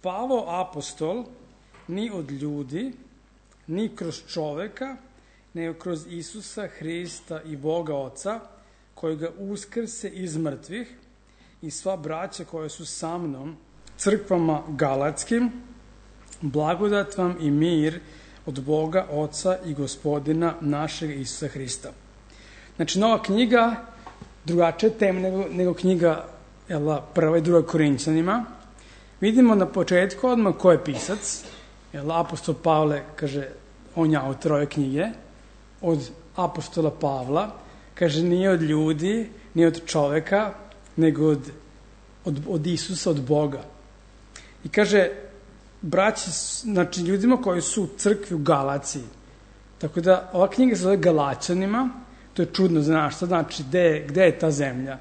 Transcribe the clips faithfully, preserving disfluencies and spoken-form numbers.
Pavao apostol ni od ljudi, ni kroz čoveka, nego kroz Isusa Hrista i Boga Oca, koji ga uskrse iz mrtvih, i sva braća koja su sa mnom, crkvama galatskim, blagodat vam i mir od Boga Oca i Gospodina našeg Isusa Hrista. Znači, nova knjiga, drugačija tema nego, nego knjiga jel, prva i druga Korinćanima. Vidimo na početku odmah ko je pisac. Jel, apostol Pavle, kaže, on je autor ove knjige, od apostola Pavla, kaže, nije od ljudi, nije od čoveka, nego od, od, od Isusa, od Boga. I kaže, braći, znači ljudima koji su u crkvi u Galaciji. Tako da ova knjiga se zove Galačanima, to je čudno za nas, što znači gde, gde je ta zemlja.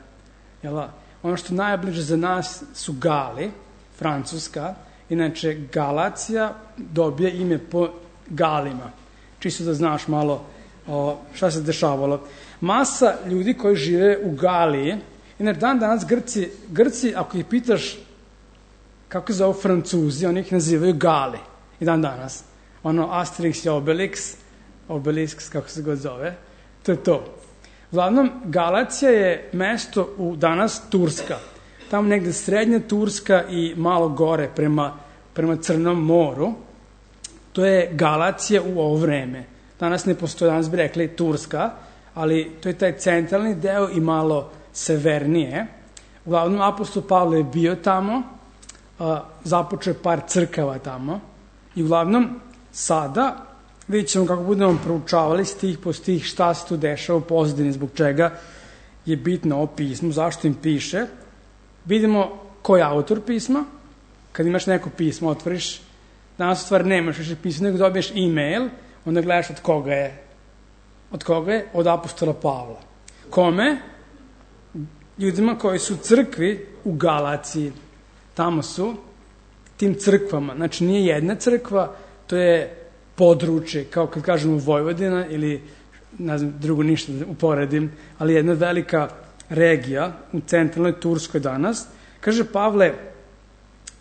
Jel, ono što najbliže za nas su Gali, Francuska, inače Galacija dobije ime po Galima. Čisto da znaš malo o, šta se dešavalo. Masa ljudi koji žive u Galiji, inače dan danas Grci, Grci, ako ih pitaš kako se zove Francuzi, oni ih nazivaju Gali. I dan danas. Ono Asterix i Obelix, Obelix, kako se god zove, to je to. Uglavnom, Galacija je mesto u danas Turska. Tamo negde srednja Turska i malo gore prema, prema Crnom moru. To je Galacija u ovo vreme. Danas ne postoji, danas bi rekli Turska, ali to je taj centralni deo i malo severnije. Uglavnom, apostol Pavle je bio tamo, započeo je par crkava tamo i uglavnom sada vidjet ćemo kako budemo proučavali stih po stih šta se tu dešava u pozadini, zbog čega je bitno ovo pismo, zašto im piše. Vidimo ko je autor pisma. Kad imaš neko pismo, otvoriš, danas u stvari nemaš više pismo, nego dobiješ e-mail, onda gledaš od koga je. Od koga je? Od apostola Pavla. Kome? Ljudima koji su u crkvi u Galaciji. Tamo su, tim crkvama. Znači, nije jedna crkva, to je područje, kao kad kažemo Vojvodina ili, ne znam, drugo ništa uporedim, ali jedna velika regija u centralnoj Turskoj danas. Kaže Pavle,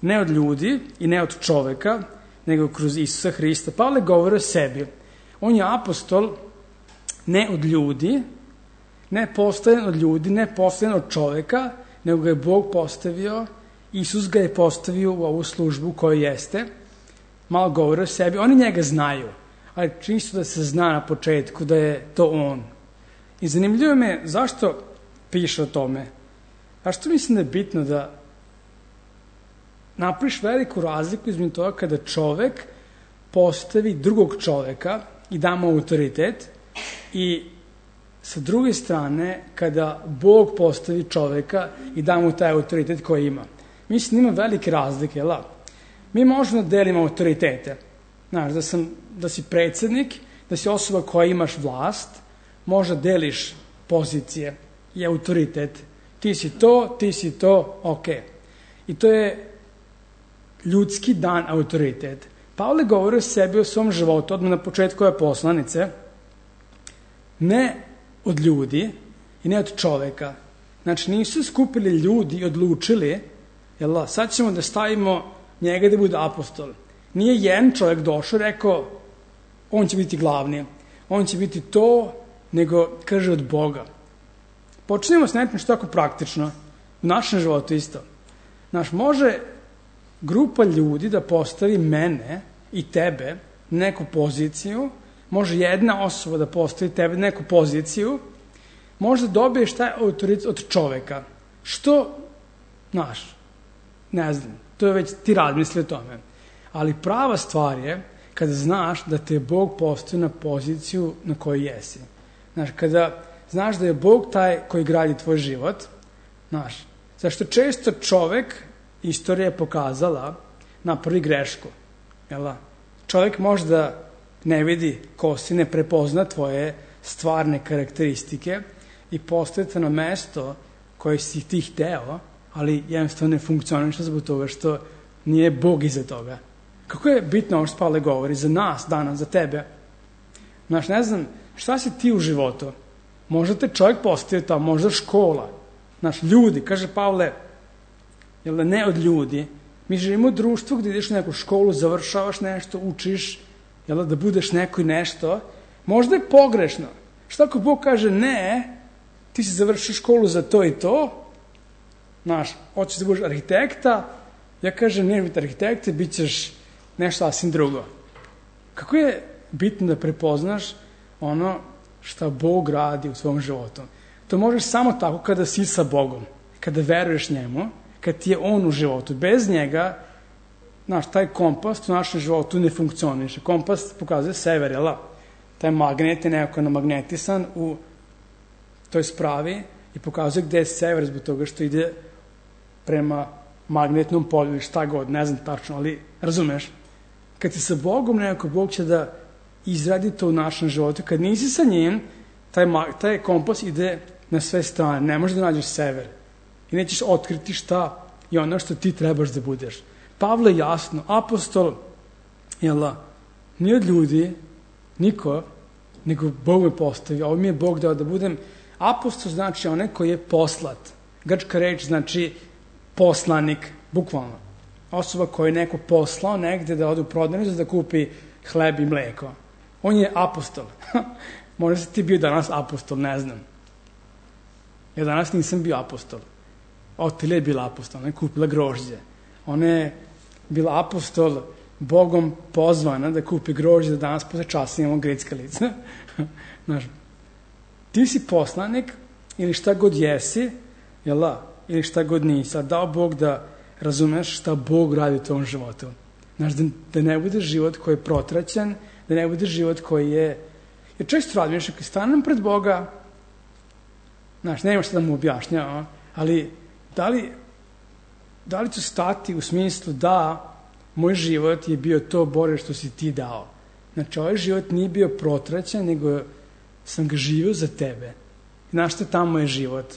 ne od ljudi i ne od čoveka, nego kroz Isusa Hrista. Pavle govori o sebi. On je apostol ne od ljudi, ne postavljen od ljudi, ne postavljen od čoveka, nego ga je Bog postavio, Isus ga je postavio u ovu službu koju jeste. Malo govori o sebi. Oni njega znaju, ali čisto da se zna na početku da je to on. I zanimljivo me zašto piše o tome. Zašto mislim da je bitno da napraviš veliku razliku između toga kada čovek postavi drugog čoveka i da mu autoritet, i sa druge strane kada Bog postavi čoveka i da mu taj autoritet koji ima. Mislim, ima velike razlike, jel? Mi možemo da delimo autoritete. Znaš, da, sam, da si predsednik, da si osoba koja imaš vlast, možda deliš pozicije i autoritet. Ti si to, ti si to, ok. I to je ljudski dan autoritet. Pavle govori o sebi, o svom životu, odmah na početku ove poslanice, ne od ljudi i ne od čoveka. Znači, nisu skupili ljudi i odlučili, jel, sad ćemo da stavimo njega da bude apostol. Nije jedan čovjek došao i rekao, on će biti glavni, on će biti to, nego kaže od Boga. Počnemo s nečim što tako praktično, u našem životu isto. Znaš, može grupa ljudi da postavi mene i tebe na neku poziciju, može jedna osoba da postavi tebe na neku poziciju, može da dobiješ taj autoritet od čoveka. Što, znaš, ne znam, to je već ti razmisli o tome. Ali prava stvar je kada znaš da te je Bog postavio na poziciju na kojoj jesi. Znaš, kada znaš da je Bog taj koji gradi tvoj život, znaš, zašto često čovek, istorija je pokazala, napravi grešku. Jel? Čovek možda ne vidi ko si, ne prepozna tvoje stvarne karakteristike i postavite na mesto koje si ti hteo, ali jednostavno ne funkcioniše zbog toga što nije Bog iza toga. Kako je bitno ovo što Pavle govori za nas danas, za tebe? Znaš, ne znam, šta si ti u životu? Možda te čovjek postavio tamo, možda škola. Znaš, ljudi, kaže Pavle, jel da ne od ljudi, Mi živimo u društvu gde ideš u neku školu, završavaš nešto, učiš, jel, da budeš neko i nešto. Možda je pogrešno. Šta ako Bog kaže ne, ti si završio školu za to i to, znaš, hoćeš da budeš arhitekta, ja kažem ne biti arhitekta, bit ćeš nešto sasvim drugo. Kako je bitno da prepoznaš ono šta Bog radi u svom životu. To možeš samo tako kada si sa Bogom, kada veruješ njemu, kad ti je on u životu. Bez njega, znaš, taj kompas u našem životu ne funkcioniše. Kompas pokazuje sever, jel? Taj magnet je nekako namagnetisan u toj spravi i pokazuje gde je sever zbog toga što ide prema magnetnom polju, šta god, ne znam tačno, ali razumeš? Kad si sa Bogom, nekako Bog će da izradi to u našem životu. Kad nisi sa njim, taj, taj kompas ide na sve strane. Ne možeš da nađeš sever. I nećeš otkriti šta je ono što ti trebaš da budeš. Pavle jasno, apostol, jel, nije od ljudi, niko, nego Bog me postavio. Ovo mi je Bog dao da budem. Apostol znači onaj koji je poslat. Grčka reč znači poslanik, bukvalno. Osoba koju je neko poslao negde da ode u prodavnicu da kupi hleb i mleko. On je apostol. Možda si ti bio danas apostol, ne znam. Ja danas nisam bio apostol. Otilija je bila apostol, ona je kupila grožđe. Ona je bila apostol, Bogom pozvana da kupi grožđe, da danas posle časa imamo grickalice. Znaš, ti si poslanik ili šta god jesi, jel da? Ili šta god nisi. A dao Bog da razumeš šta Bog radi u tom životu. Znaš, da, da ne bude život koji je protraćen, da ne bude život koji je... Jer često radim, još ako stanem pred Boga, znaš, nema šta da mu objašnjava, ali da li, da li ću stati u smislu da moj život je bio to, Bore, što si ti dao. Znači, ovaj život nije bio protraćen, nego sam ga živio za tebe. Znaš šta tamo je život?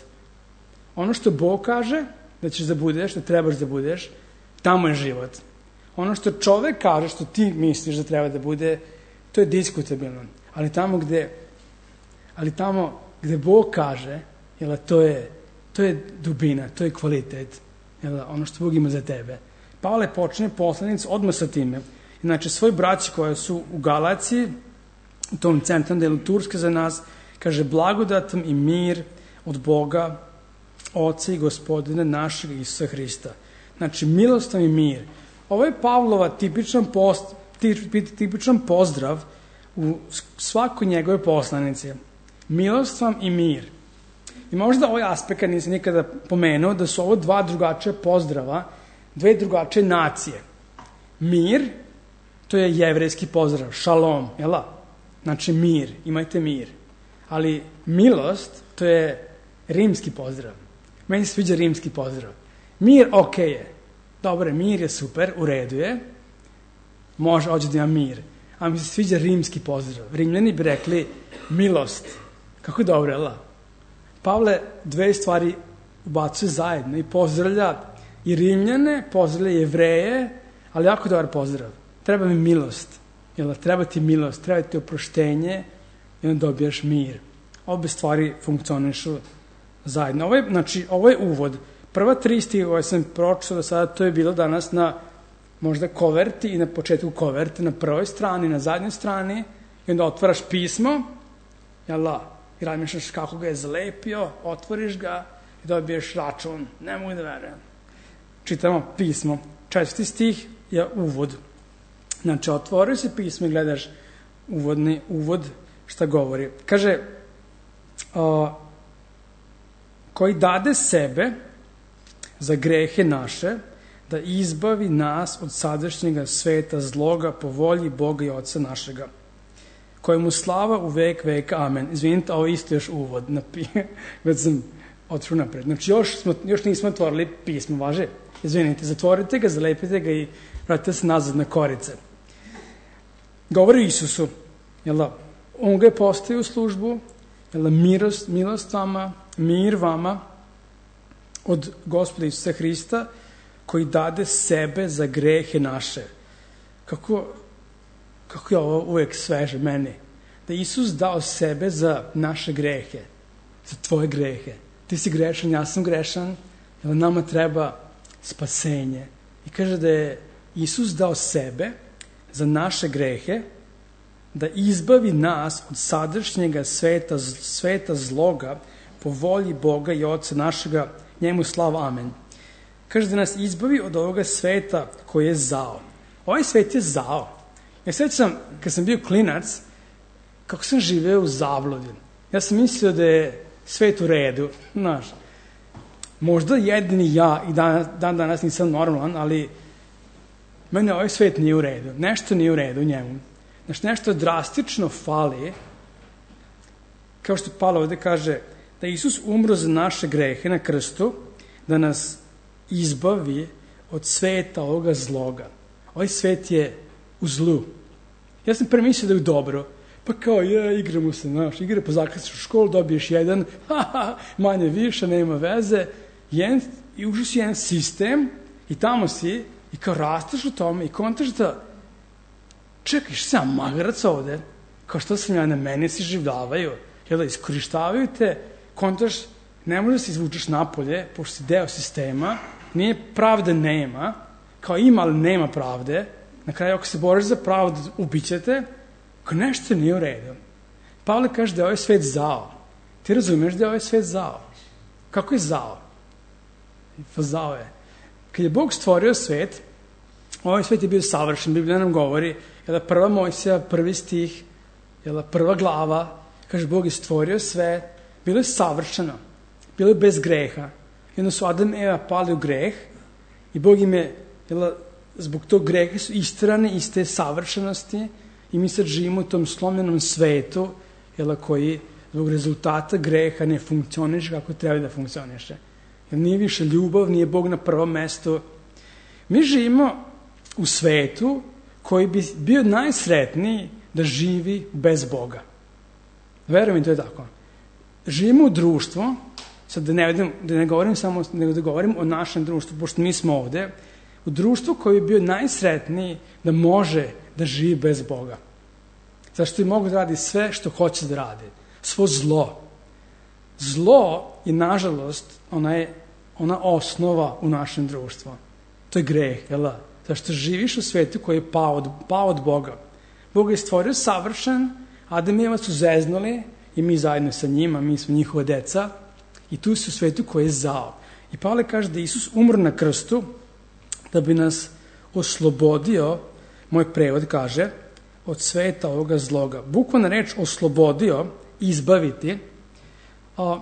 Ono što Bog kaže da ćeš da budeš, da trebaš da budeš, tamo je život. Ono što čovek kaže, što ti misliš da treba da bude, to je diskutabilno. Ali tamo gde, ali tamo gde Bog kaže, jel, to je, to je dubina, to je kvalitet, jel, ono što Bog ima za tebe. Pavle počne poslanic odmah sa time. Znači, svoj braći koji su u Galaciji, u tom centralnom delu Turske za nas, kaže blagodatom i mir od Boga, Oca i Gospodina našeg Isusa Hrista. Znači, milost i mir. Ovo je Pavlova tipičan, post, tipičan pozdrav u svakoj njegove poslanici. Milost vam i mir. I možda ovaj aspekt nisam nikada pomenuo da su ovo dva drugačija pozdrava, dve drugačije nacije. Mir, to je jevrejski pozdrav, šalom, jel da? Znači mir, imajte mir. Ali milost, to je rimski pozdrav. Meni se sviđa rimski pozdrav. Mir, ok je. Dobre, mir je super, u redu je. Može, hoće da ima mir. A mi se sviđa rimski pozdrav. Rimljani bi rekli milost. Kako je dobro, jel da? Pavle dve stvari ubacuje zajedno i pozdravlja i Rimljane, pozdravlja Jevreje, ali jako dobar pozdrav. Treba mi milost. Jel da? Treba ti milost, treba ti oproštenje i onda dobijaš mir. Obe stvari funkcionišu zajedno. Ovo je, znači, ovo je uvod. Prva tri stiha koje sam pročitao do sada, to je bilo danas na možda koverti i na početku koverte, na prvoj strani, na zadnjoj strani, i onda otvaraš pismo, jel da, i razmišljaš kako ga je zalepio, otvoriš ga i dobiješ račun. Ne mogu da verujem. Čitamo pismo. Četvrti stih je uvod. Znači, otvoriš se pismo i gledaš uvodni uvod šta govori. Kaže, o, koji dade sebe za grehe naše, da izbavi nas od sadašnjega sveta zloga po volji Boga i Oca našega, kojemu slava u vek veka. Amen. Izvinite, ovo isto još uvod. Već sam otišao napred. Znači, još, smo, još nismo otvorili pismo, važe? Izvinite, zatvorite ga, zalepite ga i vratite se nazad na korice. Govori Isusu, jel da? On ga je postavio u službu, jel da? Milost, milost vama, mir vama od Gospoda Isusa Hrista, koji dade sebe za grehe naše. Kako, kako je ovo uvek sveže meni? Da Isus dao sebe za naše grehe, za tvoje grehe. Ti si grešan, ja sam grešan, jer nama treba spasenje. I kaže da je Isus dao sebe za naše grehe, da izbavi nas od sadašnjega sveta, sveta zloga po volji Boga i Oca našega, njemu slava, amen. Kaže da nas izbavi od ovoga sveta koji je zao. Ovaj svet je zao. Ja sećam, kad sam bio klinac, kako sam živeo u zabludi. Ja sam mislio da je svet u redu, znaš. Možda jedini ja i dan, dan danas nisam normalan, ali mene ovaj svet nije u redu. Nešto nije u redu u njemu. Znači, nešto drastično fali, kao što Pavle ovde kaže, da Isus umro za naše grehe na krstu, da nas izbavi od sveta ovoga zloga. Ovaj svet je u zlu. Ja sam pre mislio da je u dobro. Pa kao, je, igramo se, znaš, igre po zakasniš u školu, dobiješ jedan, haha, manje više, nema veze, jedan, i ušao si jedan sistem i tamo si i kao rasteš u tome i kontaš da čekaj, što sam magarac ovde? Kao što sam ja, na mene se življavaju, jel da iskorištavaju te, kontaš, ne možeš da se izvučeš napolje, pošto si deo sistema, nije pravde nema, kao ima, ali nema pravde, na kraju ako se boriš za pravdu, ubićete, kao nešto nije u redu. Pavle kaže da je ovaj svet zao. Ti razumeš da je ovaj svet zao? Kako je zao? Pa zao je. Kad je Bog stvorio svet, ovaj svet je bio savršen, Biblija nam govori, jel da prva Mojsija, prvi stih, jel da prva glava, kaže Bog je stvorio sve, bilo je savršeno, bilo je bez greha. I onda su Adam i Eva pali u greh i Bog im je, jel da, zbog tog greha su isterani iz te savršenosti i mi sad živimo u tom slomljenom svetu, jel da, koji zbog rezultata greha ne funkcioniše kako treba da funkcioniše. Jer nije više ljubav, nije Bog na prvom mestu. Mi živimo u svetu koji bi bio najsretniji da živi bez Boga. Verujem mi, to je tako. Živimo u društvu, sad da ne, vidim, da ne govorim samo, nego da govorim o našem društvu, pošto mi smo ovde, u društvu koji bi bio najsretniji da može da živi bez Boga. Zašto je mogu da radi sve što hoće da radi. Svo zlo. Zlo je, nažalost, ona je ona osnova u našem društvu. To je greh, jel da? Zašto živiš u svetu koji je pao od, pao od Boga. Bog je stvorio savršen, Adam i Eva su zeznuli i mi zajedno sa njima, mi smo njihova deca i tu su u svetu koji je zao. I Pavle kaže da Isus umro na krstu da bi nas oslobodio, moj prevod kaže, od sveta ovoga zloga. Bukvalna reč oslobodio, izbaviti, a,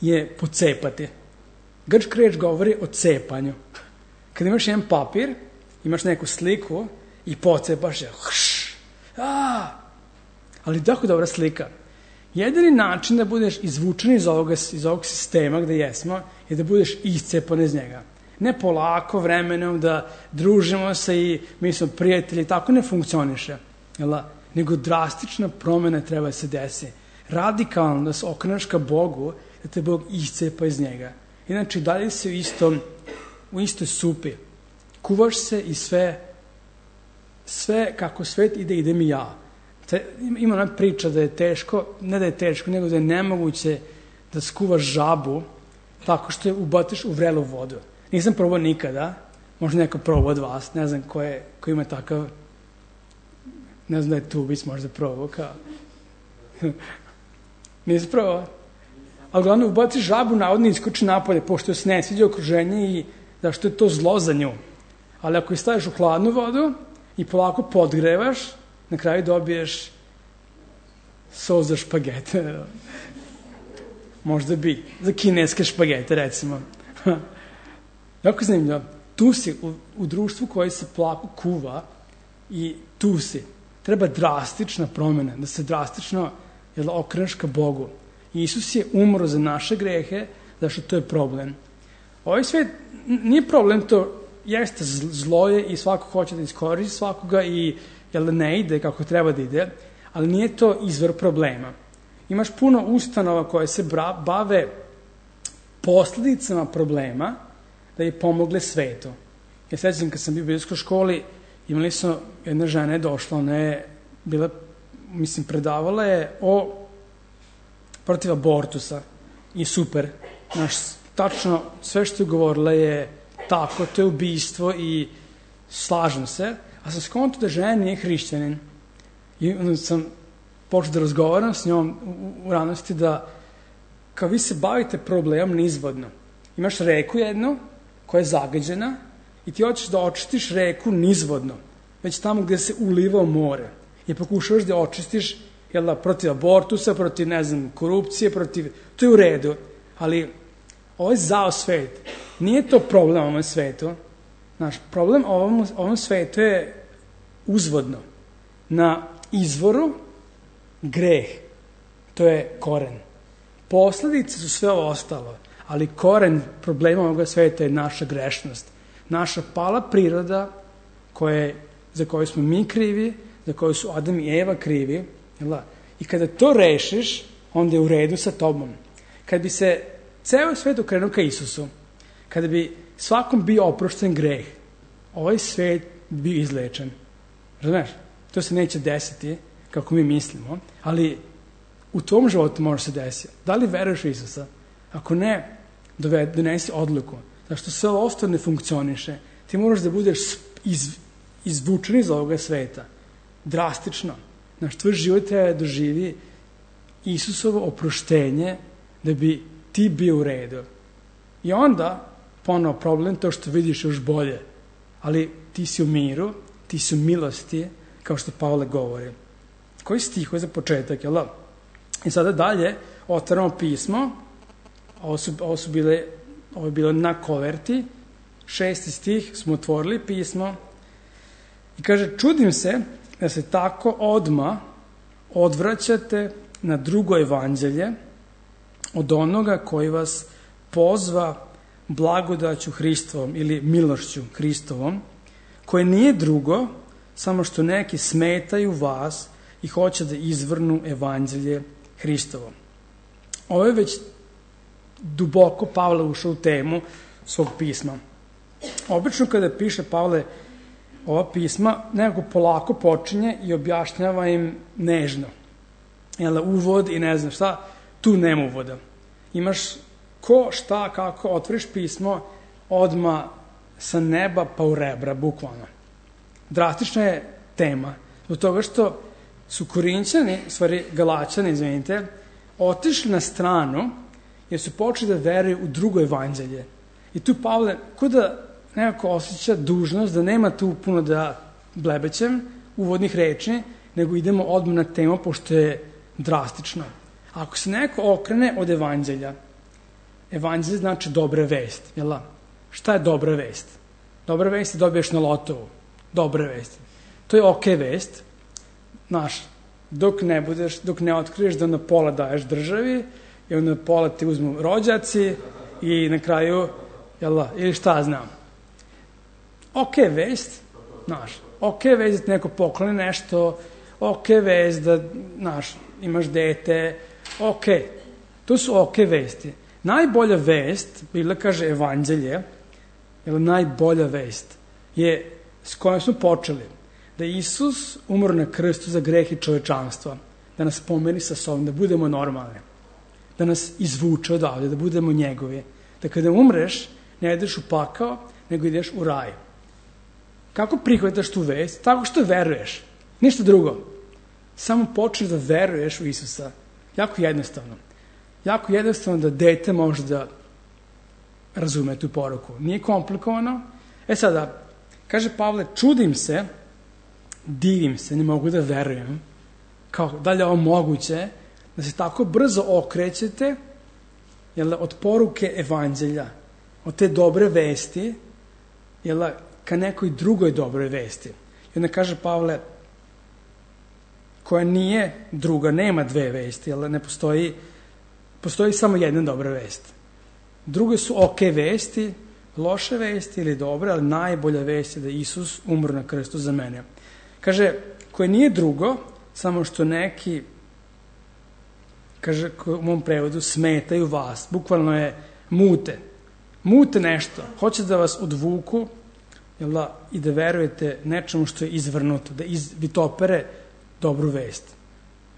je pocepati. Grčka reč govori o cepanju. Kad imaš jedan papir, imaš neku sliku i pocepaš je. Hš, a, ali tako dobra slika. Jedini način da budeš izvučen iz ovoga, iz ovog sistema gde jesmo je da budeš iscepan iz njega. Ne polako vremenom da družimo se i mi smo prijatelji, tako ne funkcioniše. Jel? Nego drastična promena treba da se desi. Radikalno da se okreneš ka Bogu, da te Bog iscepa iz njega. Inače, dalje si u, istom, u istoj supi. Kuvaš se i sve, sve kako svet ide, idem i ja. Te, ima ona priča da je teško, ne da je teško, nego da je nemoguće da skuvaš žabu tako što je ubatiš u vrelu vodu. Nisam probao nikada, možda neko probao od vas, ne znam ko, je, ko ima takav, ne znam da je Tubić možda probao, kao. Nisam probao. Ali glavno ubaciš žabu, navodno iskoči napolje, pošto se ne sviđa okruženje i zašto je to zlo za nju. Ali ako je staviš u hladnu vodu i polako podgrevaš, na kraju dobiješ sos za špagete. Možda bi. Za kineske špagete, recimo. Jako zanimljivo. Tu si u, u društvu koji se polako kuva i tu si. Treba drastična promjena, da se drastično jel, okreneš ka Bogu. I Isus je umro za naše grehe, zašto to je problem. Ovaj svet nije problem, to jeste zlo je i svako hoće da iskoristi svakoga i jel, ne ide kako treba da ide, ali nije to izvor problema. Imaš puno ustanova koje se bave posljedicama problema da je pomogle svetu. Ja sećam kad sam bio u biblijskoj školi, imali smo, jedna žena je došla, ona je bila, mislim, predavala je o protiv abortusa i super. Znaš, tačno sve što je govorila je tako, to je ubistvo i slažem se, a sam skonto da žena nije hrišćanin. I onda sam počeo da razgovaram s njom u, u ranosti da kao vi se bavite problemom nizvodno. Imaš reku jednu koja je zagađena i ti hoćeš da očistiš reku nizvodno, već tamo gde se uliva u more. I pokušavaš da očistiš jel da, protiv abortusa, protiv, ne znam, korupcije, protiv... To je u redu, ali ovo je zao svet. Nije to problem ovom svetu. Naš problem ovom, ovom svetu je uzvodno. Na izvoru greh. To je koren. Posledice su sve ovo ostalo, ali koren problema ovoga sveta je naša grešnost. Naša pala priroda koje, za koju smo mi krivi, za koju su Adam i Eva krivi. Jel? I kada to rešiš, onda je u redu sa tobom. Kad bi se ceo svet okrenuo ka Isusu, kada bi svakom bio oprošten greh, ovaj svet bi bio izlečen. Razumeš? To se neće desiti kako mi mislimo, ali u tvom životu može se desiti. Da li veruješ u Isusa? Ako ne, donesi odluku. Zašto sve ovo ostalo ne funkcioniše, ti moraš da budeš iz, izvučen iz ovoga sveta. Drastično. Znaš, tvoj život treba da doživi Isusovo oproštenje da bi ti bio u redu. I onda, ponovo problem to što vidiš još bolje. Ali ti si u miru, ti si u milosti, kao što Pavle govori. Koji stih je za početak, jel da? I sada dalje otvaramo pismo, ovo su, ovo su bile, ovo je bilo na koverti, šesti stih smo otvorili pismo i kaže, čudim se da se tako odma odvraćate na drugo evanđelje od onoga koji vas pozva blagodaću Hristovom ili milošću Hristovom, koje nije drugo, samo što neki smetaju vas i hoće da izvrnu evanđelje Hristovo. Ovo je već duboko Pavle ušao u temu svog pisma. Obično kada piše Pavle ova pisma, nekako polako počinje i objašnjava im nežno. Jel, uvod i ne znam šta, tu nema uvoda. Imaš ko, šta, kako, otvoriš pismo, odma sa neba pa u rebra, bukvalno. Drastična je tema, zbog toga što su Korinćani, stvari Galačani, izvinite, otišli na stranu jer su počeli da veruju u drugo evanđelje. I tu Pavle, ko da nekako osjeća dužnost da nema tu puno da blebećem uvodnih reči, nego idemo odmah na temu, pošto je drastično. Ako se neko okrene od evanđelja, evanđelje znači dobra vest, jel da? Šta je dobra vest? Dobra vest je dobiješ na lotovu. Dobra vest. To je okej vest. Znaš, dok ne budeš, dok ne otkriješ da na pola daješ državi i onda pola ti uzmu rođaci i na kraju, jel da, ili šta znam. Okej vest, znaš, okej vest da neko pokloni nešto, okej vest da, znaš, imaš dete, okej. To su okej vesti. Najbolja vest, bila kaže evanđelje, jel najbolja vest, je s kojom smo počeli. Da je Isus umro na krstu za greh i čovečanstva, da nas pomeri sa sobom, da budemo normalni, da nas izvuče odavde, da budemo njegovi, da kada umreš, ne ideš u pakao, nego ideš u raj. Kako prihvataš tu vest? Tako što veruješ. Ništa drugo. Samo počneš da veruješ u Isusa. Jako jednostavno. Jako jednostavno da dete može da razume tu poruku. Nije komplikovano. E sada, kaže Pavle, čudim se, divim se, ne mogu da verujem, kao da li je ovo moguće, da se tako brzo okrećete jel, od poruke evanđelja, od te dobre vesti, jel, ka nekoj drugoj dobroj vesti. I onda kaže Pavle, koja nije druga, nema dve vesti, jel, ne postoji, postoji samo jedna dobra vest. Druge su okej vesti, loše vesti ili dobre, ali najbolja vest je da Isus umro na krstu za mene. Kaže, koje nije drugo, samo što neki, kaže u mom prevodu, smetaju vas. Bukvalno je mute. Mute nešto. Hoće da vas odvuku jel da, i da verujete nečemu što je izvrnuto, da iz, vitopere dobru vest.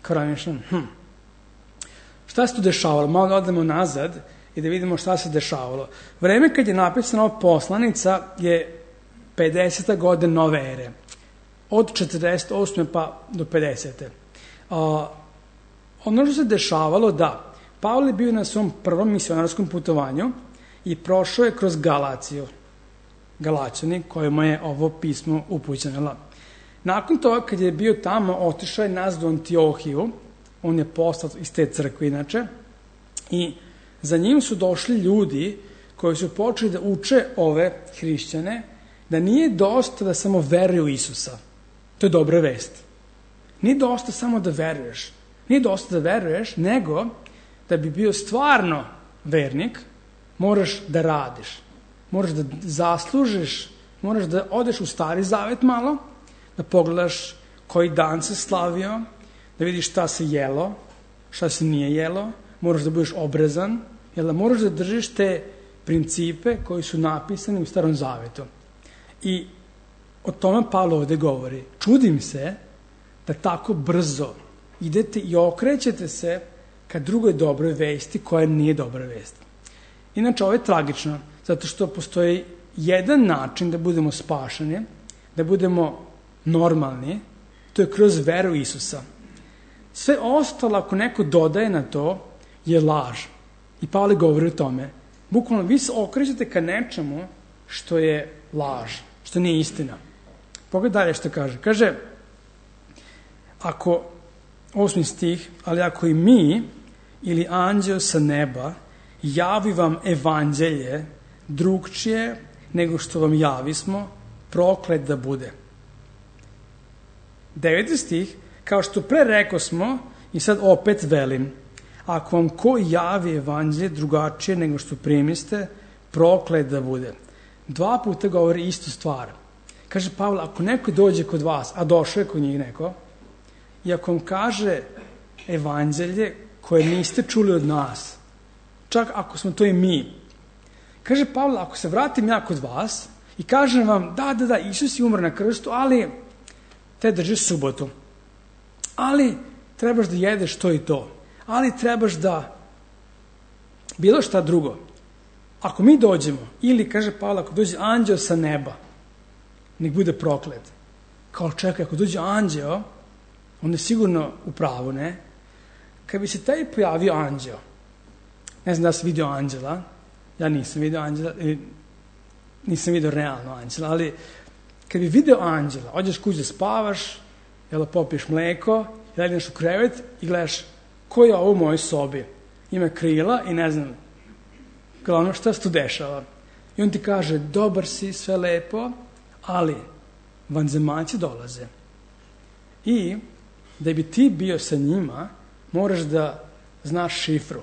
Kao razmišljam, hm. Šta se tu dešavalo? Malo da odemo nazad i da vidimo šta se dešavalo. Vreme kad je napisana ova poslanica je pedeseta godina nove ere. Od četrdeset osme pa do pedesete. A, ono što se dešavalo da Pavle je bio na svom prvom misionarskom putovanju i prošao je kroz Galaciju. Galačani, kojima je ovo pismo upućeno. Nakon toga, kad je bio tamo, otišao je nazad u Antiohiju, on je poslat iz te crkve inače, i za njim su došli ljudi koji su počeli da uče ove hrišćane, da nije dosta da samo veruju u Isusa. To je dobra vest. Nije dosta samo da veruješ. Nije dosta da veruješ, nego da bi bio stvarno vernik, moraš da radiš. Moraš da zaslužiš, moraš da odeš u Stari Zavet malo, da pogledaš koji dan se slavio, da vidiš šta se jelo, šta se nije jelo, moraš da budeš obrezan, jer da moraš da držiš te principe koji su napisani u Starom Zavetu. I o tome Pavle ovde govori. Čudim se da tako brzo idete i okrećete se ka drugoj dobroj vesti koja nije dobra vest. Inače, ovo je tragično, zato što postoji jedan način da budemo spašeni, da budemo normalni, to je kroz veru Isusa. Sve ostalo, ako neko dodaje na to, je laž. I Pavle govori o tome. Bukvalno, vi se okrećete ka nečemu što je laž, što nije istina. Pogledaj dalje što kaže. Kaže, ako, osmi stih, ali ako i mi ili anđeo sa neba javi vam evanđelje drugčije nego što vam javismo, proklet da bude. Deveti stih, kao što pre rekosmo i sad opet velim, ako vam ko javi evanđelje drugačije nego što primiste, proklet da bude. Dva puta govori istu stvar. Kaže Pavle, ako neko dođe kod vas, a došao je kod njih neko, i ako vam kaže evanđelje koje niste čuli od nas, čak ako smo to i mi, kaže Pavle, ako se vratim ja kod vas i kažem vam, da, da, da, Isus je umro na krstu, ali te držiš subotu, ali trebaš da jedeš to i to, ali trebaš da bilo šta drugo. Ako mi dođemo, ili, kaže Pavle, ako dođe anđeo sa neba, nek bude proklet. Kao čekaj, ako dođe anđeo, onda je sigurno u pravu, ne? Kad bi se taj pojavio anđeo, ne znam da sam vidio anđela, ja nisam vidio anđela, nisam vidio realno anđela, ali kad bi video anđela, odeš kući da spavaš, jel, popiješ mleko, legneš u krevet i gledaš ko je ovo u mojoj sobi. Ima krila i ne znam, glavno šta se tu dešava. I on ti kaže, dobar si, sve lepo, ali vanzemaljci dolaze. I da bi ti bio sa njima, moraš da znaš šifru.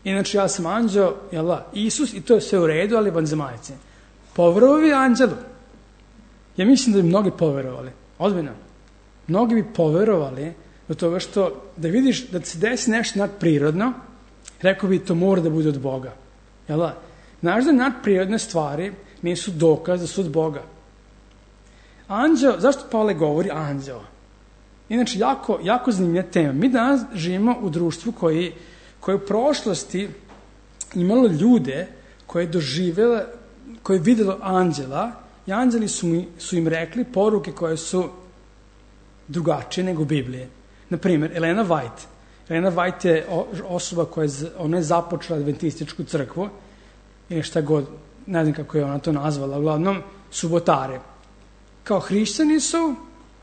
Inače, ja sam anđeo, jel da, Isus, i to je sve u redu, ali vanzemaljci. Poverovali anđelu? Ja mislim da bi mnogi poverovali. Ozbiljno. Mnogi bi poverovali do toga što, da vidiš da se desi nešto nadprirodno, rekao bi to mora da bude od Boga. Jel da? Znaš da nadprirodne stvari nisu dokaz da su od Boga. Anđeo, zašto Pavle govori anđeo? Inače, jako, jako zanimljiva tema. Mi danas živimo u društvu koji, koje u prošlosti imalo ljude koje doživjela, koje je videlo anđela i anđeli su, mi, su im rekli poruke koje su drugačije nego Biblije. Naprimjer, Elena White. Elena White je osoba koja je, ona je započela adventističku crkvu ili šta god, ne znam kako je ona to nazvala, uglavnom subotare. Kao hrišćani su,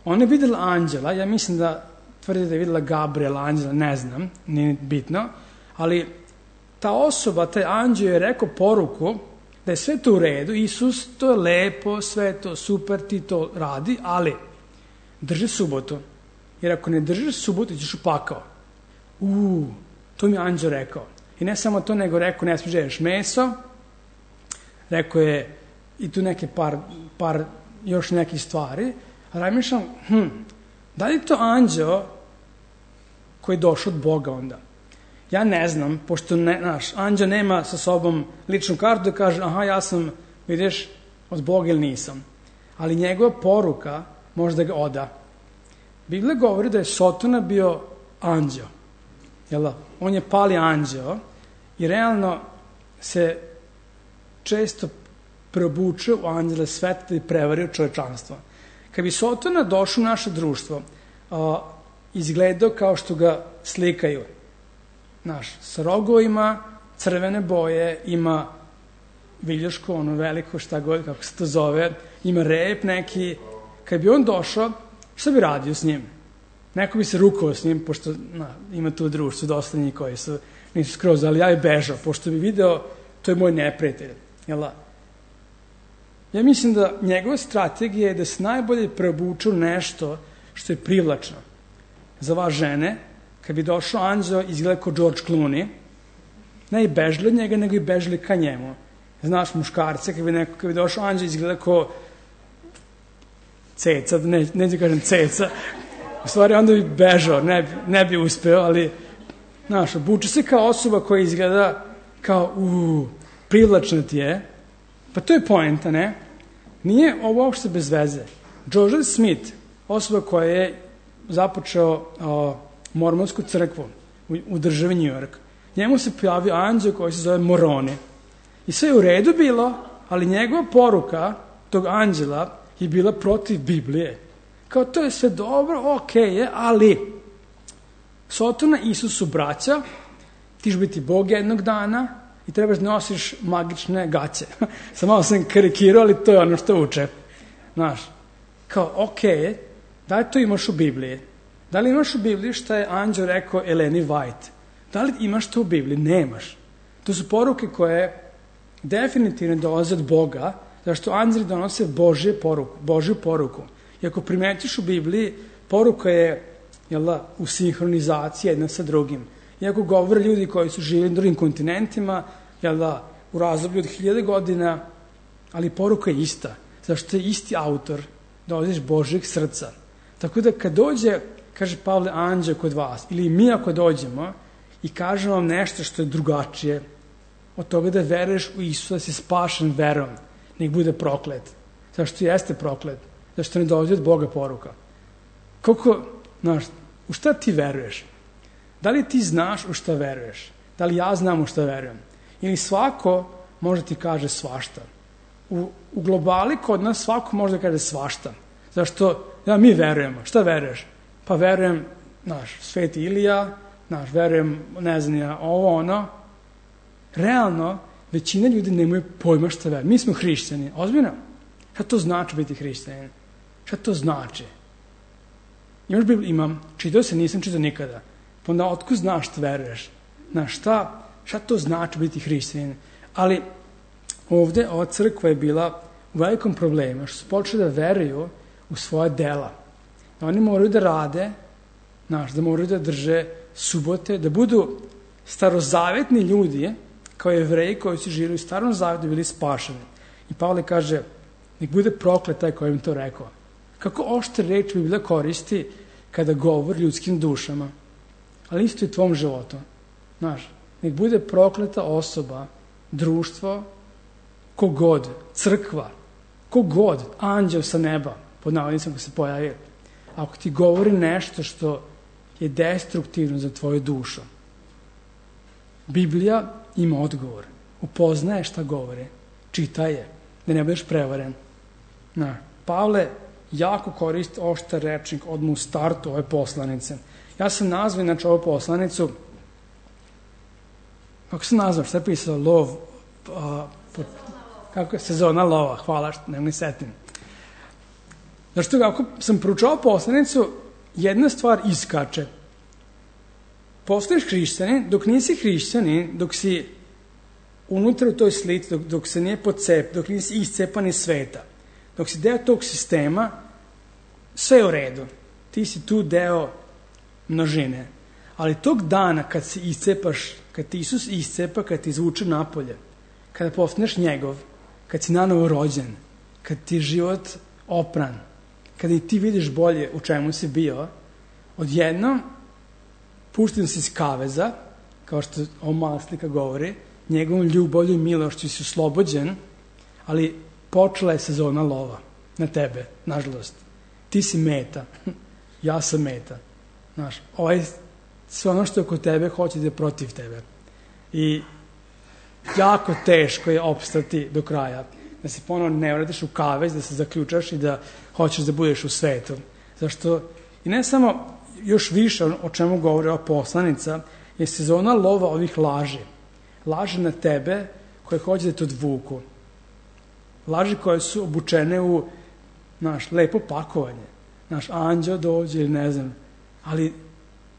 ona je videla anđela, ja mislim da tvrdi da je videla Gabriela, anđela, ne znam, nije bitno, ali ta osoba, taj anđeo je rekao poruku da je sve to u redu, Isus, to je lepo, sve je to super, ti to radi, ali drži subotu. Jer ako ne držiš subotu, ćeš u pakao. Uuu, to mi je anđeo rekao. I ne samo to, nego rekao, ne smiješ jedeš meso, rekao je i tu neke par, par još nekih stvari, a razmišljam, hm, da li je to anđeo koji je došao od Boga onda? Ja ne znam, pošto ne, naš, anđeo nema sa sobom ličnu kartu da kaže, aha, ja sam, vidiš, od Boga ili nisam. Ali njegova poruka može da ga oda. Biblija govori da je Sotona bio anđeo. Jel da? On je pali anđeo i realno se često probuče u anđele sveta da bi prevario čovečanstvo. Kad bi Sotona došao u naše društvo, a, izgledao kao što ga slikaju, znaš, sa rogovima, crvene boje, ima viljuško, ono veliko, šta god, kako se to zove, ima rep neki. Kad bi on došao, šta bi radio s njim? Neko bi se rukovao s njim, pošto na, ima tu u društvu dosta njih koji su, nisu skroz, ali ja bi bežao, pošto bi video, to je moj neprijatelj. Jel da? Ja mislim da njegova strategija je da se najbolje preobuče u nešto što je privlačno. Za vas žene, kad bi došao anđeo, izgleda kao George Clooney, ne i bežali od njega, nego i bežali ka njemu. Znaš, muškarce, kad bi, neko, kad bi došao anđeo, izgleda kao ceca, ne, ne da kažem ceca, u stvari onda bi bežao, ne, ne bi uspeo, ali, znaš, obuče se kao osoba koja izgleda kao, uuu, privlačna ti je, pa to je poenta, ne? Nije ovo uopšte bez veze. Joseph Smith, osoba koja je započeo o, mormonsku crkvu u, u državi New York, njemu se pojavio anđeo koji se zove Moroni. I sve je u redu bilo, ali njegova poruka tog anđela je bila protiv Biblije. Kao to je sve dobro, okej je, ali Sotona i Isus su braća, ti ćeš biti Bog jednog dana i trebaš da nosiš magične gaće. Sam malo sam karikirao, ali to je ono što uče. Znaš, kao okej je, da li to imaš u Bibliji? Da li imaš u Bibliji što je anđeo rekao Eleni White? Da li imaš to u Bibliji? Nemaš. To su poruke koje definitivno dolaze od Boga, zašto anđeli donose Božje poruku, Božju poruku. I ako primetiš u Bibliji, poruka je jel da, u sinhronizaciji jedna sa drugim. Iako govore ljudi koji su živjeli na drugim kontinentima, jel da, u razdoblju od hiljade godina, ali poruka je ista. Zašto je isti autor, dolaziš Božjeg srca. Tako da kad dođe, kaže Pavle, anđeo kod vas, ili mi ako dođemo i kažemo vam nešto što je drugačije, od toga da veruješ u Isusa, da si spašen verom, nek bude proklet. Zašto jeste proklet? Zašto ne dolazi od Boga poruka? Koliko, znaš, u šta ti veruješ? Da li ti znaš u šta veruješ? Da li ja znam u šta verujem? Ili svako može ti kaže svašta? U, u globali kod nas svako može da kaže svašta. Zašto? Ja, mi verujemo. Šta veruješ? Pa verujem, znaš, Sveti Ilija, znaš, verujem, ne znam ja, ovo, ono. Realno, većina ljudi nemaju pojma šta veruje. Mi smo hrišćani. Ozbiljno? Šta to znači biti hrišćanin? Šta to znači? Imaš Bibliju? Imam. Čitao se, nisam čitao nikada. Pa onda otkud znaš šta veruješ? Znaš, šta, šta to znači biti hrišćanin? Ali ovde ova crkva je bila u velikom problemu, što su počeli da veruju u svoje dela. Da oni moraju da rade, znaš, da moraju da drže subote, da budu starozavetni ljudi, kao Jevreji koji su živjeli u starom zavetu, bili spašeni. I Pavle kaže, nek bude proklet taj koji im to rekao. Kako oštre reči Biblija koristi kada govori ljudskim dušama, ali isto i tvom životu. Znaš, nek bude prokleta osoba, društvo, kogod, crkva, kogod, anđeo sa neba, pod navodnicama ko se pojavi. Ako ti govori nešto što je destruktivno za tvoju dušu, Biblija ima odgovor. Upoznaje šta govori. Čitaj je, da ne budeš prevaren. Na, Pavle jako koristi oštar rečnik odmah u startu ove poslanice. Ja sam nazvao inače ovu poslanicu, kako se nazvao, šta je pisao, lov, a, po, kako je sezona lova, hvala što ne mi setim. Zašto kako sam proučao poslanicu, jedna stvar iskače. Postaješ hrišćanin, dok nisi hrišćanin, dok si unutra u toj slici, dok, dok se nije podcep, dok nisi iscepan iz sveta, dok si deo tog sistema, sve je u redu. Ti si tu deo množine. Ali tog dana kad se iscepaš, kad ti Isus iscepa, kad ti izvuče napolje, kada postaneš njegov, kad si nanovo rođen, kad ti je život opran, kada i ti vidiš bolje u čemu si bio, odjednom pušten si iz kaveza, kao što ova mala slika govori, njegovom ljubavlju i milošću si oslobođen, ali počela je sezona lova na tebe, nažalost. Ti si meta, ja sam meta. Znaš, ovaj, sve ono što je oko tebe hoće da je protiv tebe. I jako teško je opstati do kraja. Da se ponovno ne vratiš u kavez, da se zaključaš i da hoćeš da budeš u svetu. Zašto, i ne samo još više o čemu govori ova poslanica, je sezona lova ovih laži. Laži na tebe koje hoće da te odvuku. Laži koje su obučene u naš lepo pakovanje. Naš anđeo dođe ili ne znam, ali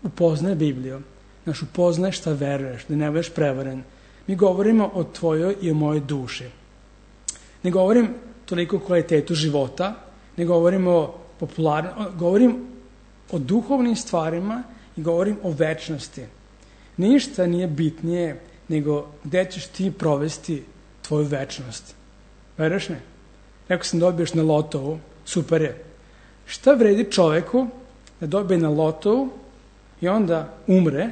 upoznaj Bibliju. Naš upoznaj šta veruješ, da ne budeš prevaren. Mi govorimo o tvojoj i o mojoj duši. Ne govorim toliko o kvalitetu života, ne govorim o popularnosti, govorim o duhovnim stvarima i govorim o večnosti. Ništa nije bitnije nego gde ćeš ti provesti tvoju večnost. Veruješ me? Rekao sam dobiješ na lotovu, super je. Šta vredi čoveku da dobije na lotovu i onda umre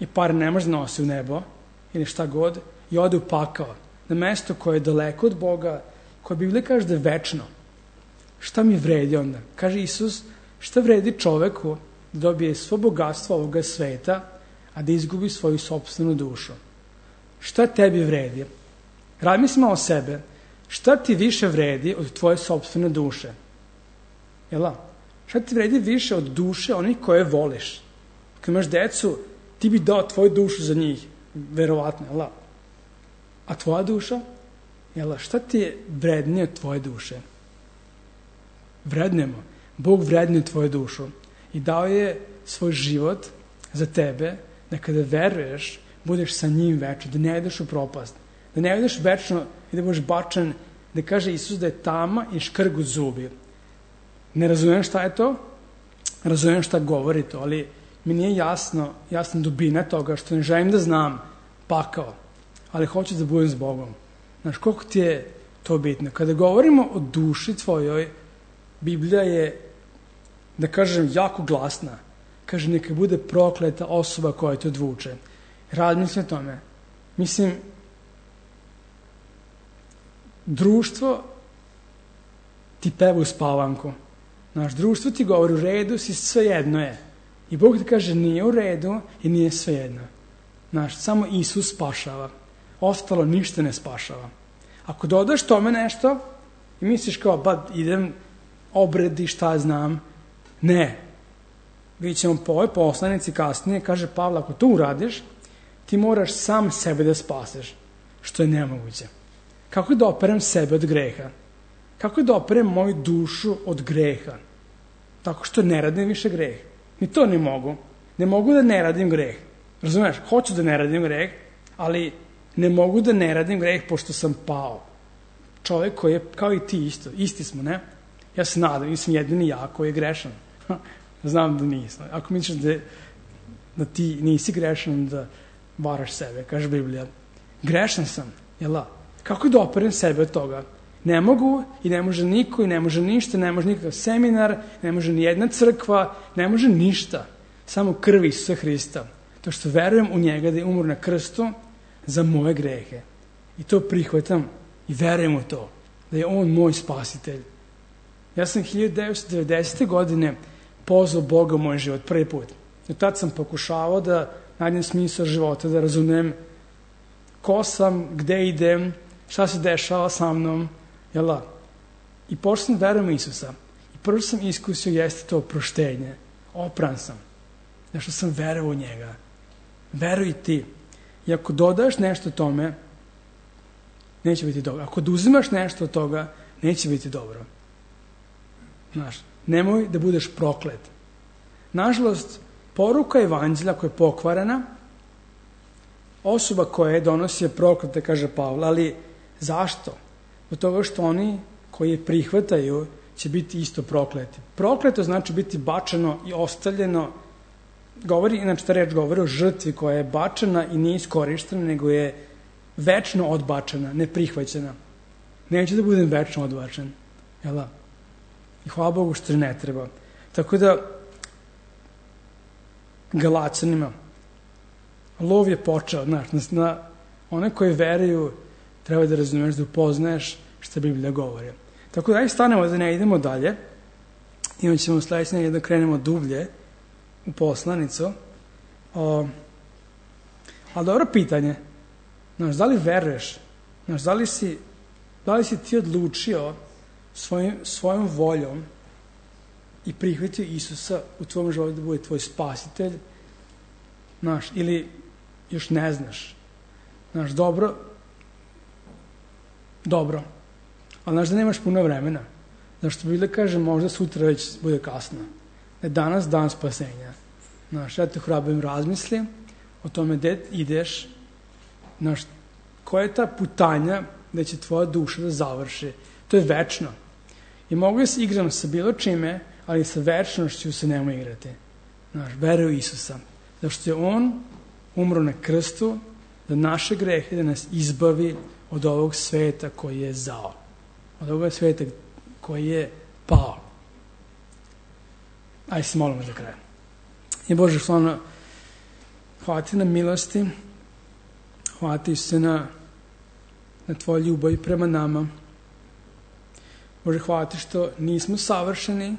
i par ne može nosi u nebo ili šta god i ode u pakao, na mesto koje je daleko od Boga, koje Biblija kaže da je večno. Šta mi vredi onda? Kaže Isus, šta vredi čoveku da dobije svo bogatstvo ovoga sveta, a da izgubi svoju sopstvenu dušu? Šta tebi vredi? Razmisli o sebe. Šta ti više vredi od tvoje sopstvene duše? Jel' šta ti vredi više od duše onih koje voliš? Kad imaš decu, ti bi dao tvoju dušu za njih. Verovatno, jel' a tvoja duša? Jel' šta ti je vrednije od tvoje duše? Vrednemo. Bog vrednije tvoju dušu i dao je svoj život za tebe, da kada veruješ, budeš sa njim večno, da ne ideš u propast, da ne ideš večno i da budeš bačen, da kaže Isus da je tama i škrg u zubi. Ne razumijem šta je to, razumijem šta govori to, ali mi nije jasno, jasna dubina toga, što ne želim da znam pakao, ali hoću da budem s Bogom. Znaš, koliko ti je to bitno? Kada govorimo o duši tvojoj, Biblija je, da kažem, jako glasna. Kaže, neka bude prokleta osoba koja te odvuče. Razmisli o tome. Mislim, društvo ti peva u spavanku. Naš društvo ti govori u redu, si svejedno je. I Bog ti kaže nije u redu i nije svejedno. Naš, samo Isus spašava. Ostalo ništa ne spašava. Ako dodaš tome nešto i misliš kao, ba, idem obredi, šta znam, ne. Vidjet ćemo po ovoj poslanici kasnije, kaže Pavle, ako to uradiš, ti moraš sam sebe da spaseš, što je nemoguće. Kako da operem sebe od greha? Kako da operem moju dušu od greha? Tako što ne radim više greh. Ni to ne mogu. Ne mogu da ne radim greh. Razumeš? Hoću da ne radim greh, ali ne mogu da ne radim greh pošto sam pao. Čovjek koji je, kao i ti isto, isti smo, ne? Ja se nadam, nisam jedini ja koji je grešan. Znam da nisam. Ako misliš da, da ti nisi grešan, da varaš sebe, kaže Biblija. Grešan sam, jel' da? Kako da operem sebe od toga? Ne mogu i ne može niko i ne može ništa, ne može nikakav seminar, ne može ni jedna crkva, ne može ništa. Samo krv Isusa Hrista. To što verujem u njega da je umro na krstu za moje grehe. I to prihvatam i verujem u to. Da je on moj spasitelj. Ja sam hiljadu devetsto devedesete. godine pozvao Boga u moj život prvi put. I tad sam pokušavao da nađem smisao života, da razumem ko sam, gde idem, šta se dešava sa mnom, jel' da? I počeo sam da verujem u Isusa. I prvo sam iskusio jeste to oproštenje. Opran sam. Zašto sam verovao u njega. Veruj ti. I ako dodaš nešto tome, neće biti dobro. Ako oduzimaš nešto od toga, neće biti dobro. Znaš, nemoj da budeš proklet. Nažalost, poruka evanđelja koja je pokvarena, osoba koja je donosi je proklete, kaže Pavle, ali zašto? Od toga što oni koji je prihvataju će biti isto prokleti. Prokleto znači biti bačeno i ostavljeno. Govori, inače ta reč govori o žrtvi koja je bačena i nije iskorištena, nego je večno odbačena, neprihvaćena. Neće da budem večno odbačen. Jel' da? I hvala Bogu što ne treba. Tako da, Galacanima, lov je počeo, znaš, na one koji veruju treba da razumeš, da upoznaješ što Biblija govori. Tako da, aj stanemo da ne idemo dalje. Imat ćemo sledeće nedelje da krenemo dublje u poslanicu. O, ali dobro pitanje. Znaš, da li veruješ? Znaš, da li si, da li si ti odlučio svojim, svojom voljom i prihvatio Isusa u tvojom životu da bude tvoj spasitelj? Znaš, ili još ne znaš? Znaš, dobro, dobro, ali znaš da nemaš puno vremena. Znaš, što Biblia kaže, možda sutra već bude kasno. Ne, danas dan spasenja. Znaš, ja te hrabrim, razmisli o tome gde ideš, znaš, koja je ta putanja gde će tvoja duša da završi. To je večno. I mogu da se igram sa bilo čime, ali sa večnošću se nemoj igrati. Znaš, veruj u Isusa. Zašto je On umro na krstu za naše grehe, da nas izbavi od ovog sveta koji je zao. Od ovog sveta koji je pao. Ajde se molimo za kraj. I Bože, hvala, hvala ti na milosti, hvala ti se na, na tvoju ljubav prema nama. Bože, hvala ti što nismo savršeni,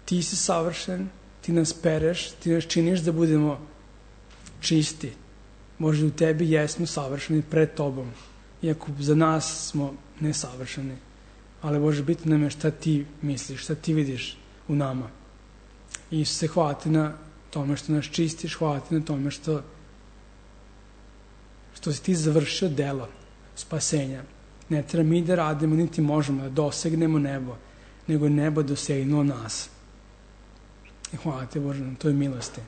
ti si savršen, ti nas pereš, ti nas činiš da budemo čisti. Bože, u tebi jesmo savršeni pred tobom, iako za nas smo nesavršeni. Ali Bože, bitno nam je šta ti misliš, šta ti vidiš u nama. I Isuse, hvala ti na tome što nas čistiš, hvala ti na tome što što si ti završio delo spasenja. Ne treba mi da radimo, niti možemo da dosegnemo nebo, nego nebo dosegnulo nas. I hvala ti, Bože, na toj milosti.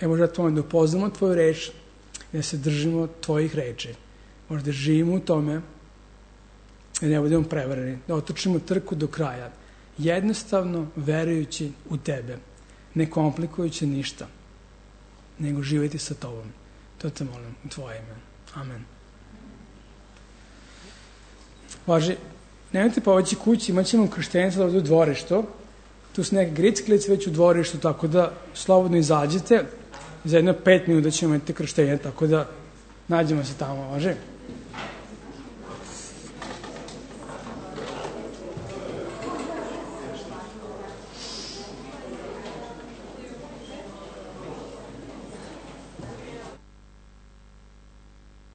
E, Bože, da tome da upoznamo tvoju reč i da se držimo tvojih reči. Možda da živimo u tome i ne budemo prevareni, da otočimo trku do kraja, jednostavno verujući u tebe, ne komplikujući ništa, nego živjeti sa tobom. To te molim u tvoje ime. Amen. Važi, nemojte poveći kući, imat ćemo krštenicu ovdje u dvorištu, tu su neke gricklice već u dvorištu, tako da slobodno izađite, za jedno pet minuta ćemo imati krštenje, tako da nađemo se tamo, važi.